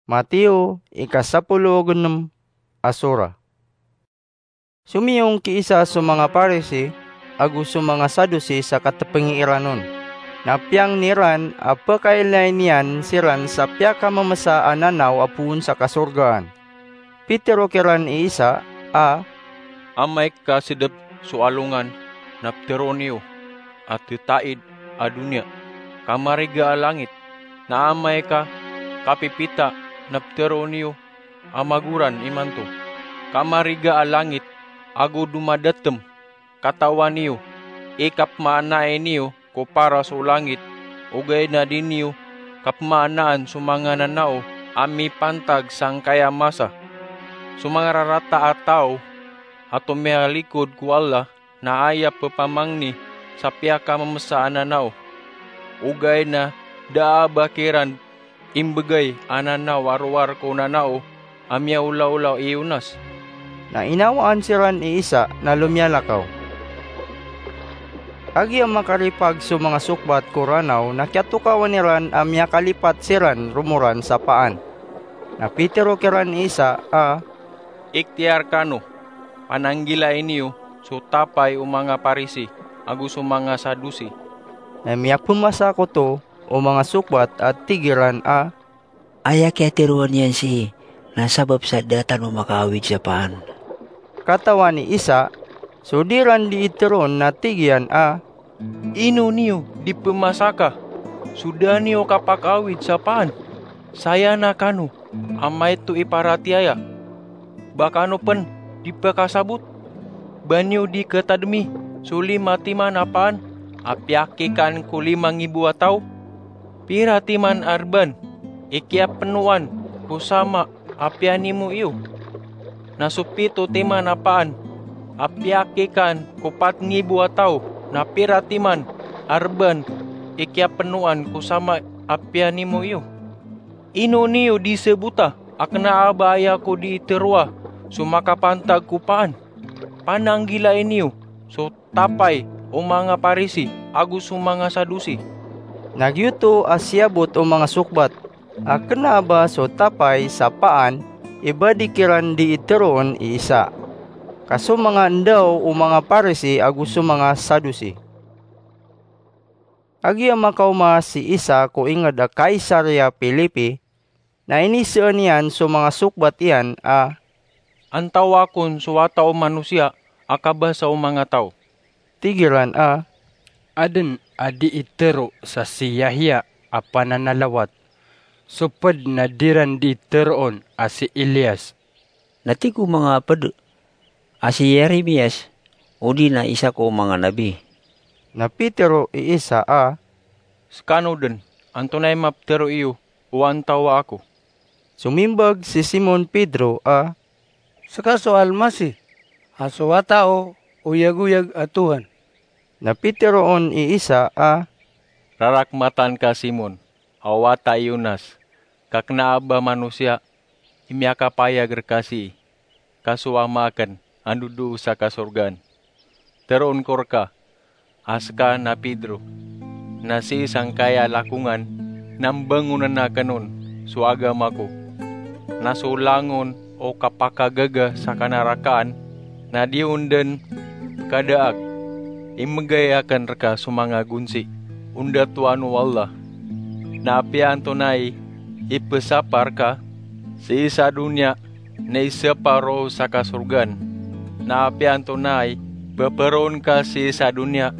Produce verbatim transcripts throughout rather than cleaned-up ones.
Mateo, ika sapolo ago nem a sura. Somiyong ki isa so manga Parisi ago so manga Sadusi sa katepeng iran on. Na piyangni ran a pekailay niyan siran sa piyakamemesa a nanaw a poon sa kasorgaan. Pitero kiran i isa a, "Amay ka sedep so alongan na peteroon iyo a tetaid a doniya ka mariga a langit, na amay ka kapipita na peteroon iyo a magoran imanto ka mariga a langit ago domadatem. Katawan iyo i kapemaanai niyo ko paras o langit, ogaid na di niyo kapemaanaan so manga nanaw a mipantag sangkaya masa. So manga rarata a taw a tomiyalikod ko Allah na aya pepamangni sa piyakamemesa a nanaw, ogaid na da a ba kiran imbegay a nanaw a rowar ko nanaw a miyaolaola i Yonas." Na inawaan siran i isa na lomiyalakaw. Kagiya makaripag so manga sokbat ko Ranaw na kiyatokawan iran a miyakalipat siran romoran sa paan. Na pitero kiran i isa a, "Iktiyar kano, pananggilai niyo so tapay o manga Parisi ago so manga Sadusi." Na miyapemasa koto o manga sokbat a tig iran a, "Aya kiyateroa niyan sii na sabap sa da tano makaawid sa paan." Katawan i isa so di ran dii teroon na tig iyan a, "Ino niyo di pemasaka so da niyo kapakaawid sa paan? Saya na kano a maito i paratiyaya. Ba kano pen di pekasabot? Ba niyo di ketademi so lima timan a paan a piyakikaan ko lima ngibo a taw? Pira timan a reban i kiyapenoan ko sama a piyanimo iyo? Na so pito timan a paan a piyakikaan ko pat ngibo a taw, na pira timan a reban i kiyapenoan ko sama a piyanimo iyo? Ino niyo di sebota a kena a ba aya ko dii teroa so makapantag ko paan? Pananggilai niyo so tapay o manga Parisi ago so manga Sadusi." Na giyoto a siyabot o manga sokbat a kena a ba so tapay sa paan i ba di kiran dii teroon i isa, ka so manga ndaw o manga Parisi ago so manga Sadusi. Kagiya makaoma si isa ko inged a Caesarea Philipi, na iniseen iyan so manga sokbat iyan a, "Antawaa kon so Wata o Manosiya a kabasa o manga taw?" Tig iran a, "Aden a dii tero sa si Yahya a pananalawat, so ped na di ran dii teroon a si Elias." Na tig o manga ped a si Yeremias, odi na isa ko manga nabi. Na pitero i isa a, "Sekano den, antonaa i mapetero iyo o antawaa ako?" Somimbag si Simon Pedro a, "Seka so Almasih, a so Wata o oyagoyag a Tohan." Na piteroon i isa a, "Rarakmatan ka, Simon, a wata i Yonas, ka kena a ba manosiya i miyakapayag reka sii, ka so Ama aken a ndodoo sa kasorgaan. Teroon ko reka a seka na Pedro, na sii sangkaya lakongan na mbangonen aken on so agama ko, na so langon o kapakagaga sa kanarakaan na di on den pekadaag. Imbegay aken reka so manga gonsi o ndatoan o Allah. Na apiya antonaa i ipesapar ka sii sa doniya na isapar roo sa kasorgaan. Na apiya antonaa i peperoon ka sii sa doniya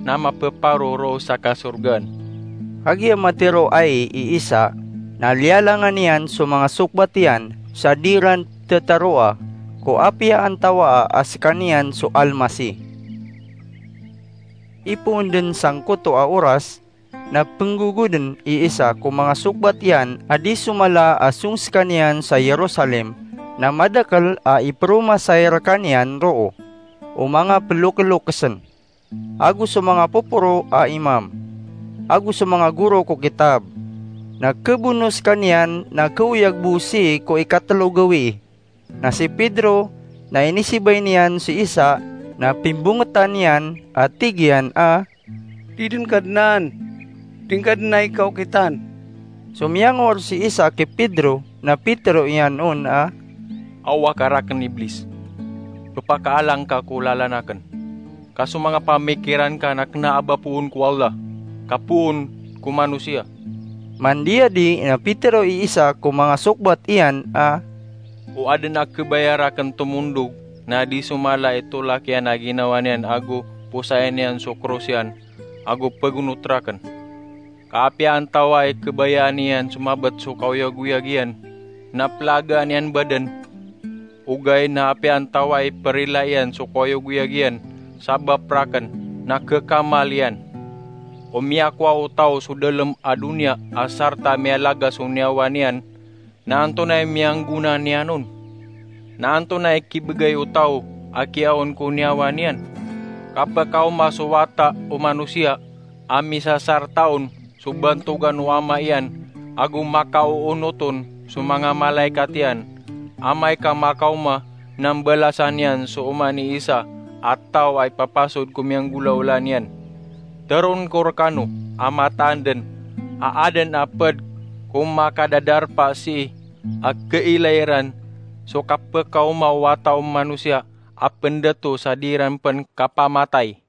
na mapeparo roo sa kasorgaan." Kagiya matero ai i isa, na liyalangan iyan so manga sokbat iyan sa di ran tetaroa ko apiya antawaa a sekaniyan so Almasih. Ipoon den sangkoto a oras, na penggogoden i isa ko manga sokbat iyan a di somala a song sekaniyan sa Jerusalem, na madakel a iperomasay rekaniyan roo o manga pelokelokesen, ago so manga poporo a imam, ago so manga goro ko kitab. Na kebono sekaniyan na kaoyag bo sii ko ikatelo gawii. Na si Pedro na inisibay niyan si isa na pimbongetan iyan a tig iyan a, "Di den kadenaan, di ngka den ai kaokitan." So miyangor si isa ki Pedro Na pitero iyan on a, "Awa ka rakn, Iblis! Pphakaalang ka ko lalan akn. Ka so manga pamikiran ka na kna a ba poon ko Allah, ka poon ko manosiya." Mandiyadi na pitero i isa ko manga sokbat iyan a, "O adn a khabaya rakn tomondog na di so mala i tolak iyan a ginawa niyan ago posayn iyan so kros iyan ago pgonot rakn. Ka apiya antawaa i khabayaan iyan so mabt so kaoyagoyag iyan na plagaan iyan badn, ogaid na apiya antawaa i prila iyan so kaoyagoyag iyan sabap rakn na khakamal iyan. O miyakowa o taw so dalm a doniya a sarta miyalaga so niyawa niyan, na antonaa i miyanggona niyan on? Na antonaa i kibgay o taw a kiyaon ko niyawa niyan? Kapkaoma so wata o manosiya a misasarta on so bantogan o ama iyan ago makaoonot on so manga malaikat iyan, amay ka makaoma na mbalasan iyan so oman i isa a taw a ipapasod ko miyanggolawla niyan. Teroon ko rkano a mataan dn a adn a pd ko makadadarpa sii a khailay ran so kapkaoma o wata o manosiya a pndato sa di ran pn kapamatay."